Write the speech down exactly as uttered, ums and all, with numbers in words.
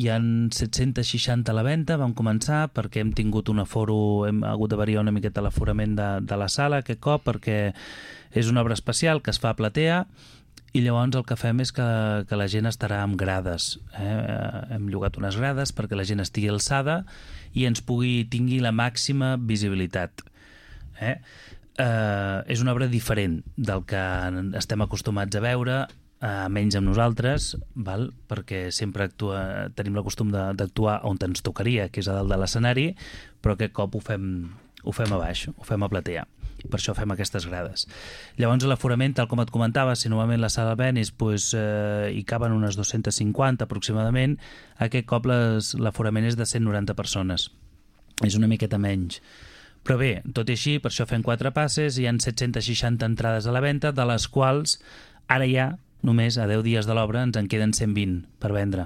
hi ha set-cents seixanta a la venda, vam començar perquè hem tingut un aforo, hem hagut de variar una miqueta l'aforament de, de la sala aquest cop, perquè és una obra especial que es fa a platea, i llavors el que fem és que, que la gent estarà amb grades. Eh? Hem llogat unes grades perquè la gent estigui alçada i ens pugui tingui la màxima visibilitat. Eh? Eh, és una obra diferent del que estem acostumats a veure, eh, menys amb nosaltres, val? Perquè sempre actua, tenim el costum d'actuar on ens tocaria, que és a dalt de l'escenari, però aquest cop ho fem, ho fem a baix, ho fem a platea. Per això fem aquestes grades. Llavors l'aforament, tal com et comentava, si normalment la sala Venice pues, eh, hi caben unes dos-centes cinquanta aproximadament, aquest cop l'aforament és de cent noranta persones. És una miqueta menys. Però bé, tot i així, per això fem quatre passes, hi ha set-cents seixanta entrades a la venda, de les quals ara ja, només a deu dies de l'obra, ens en queden cent vint per vendre.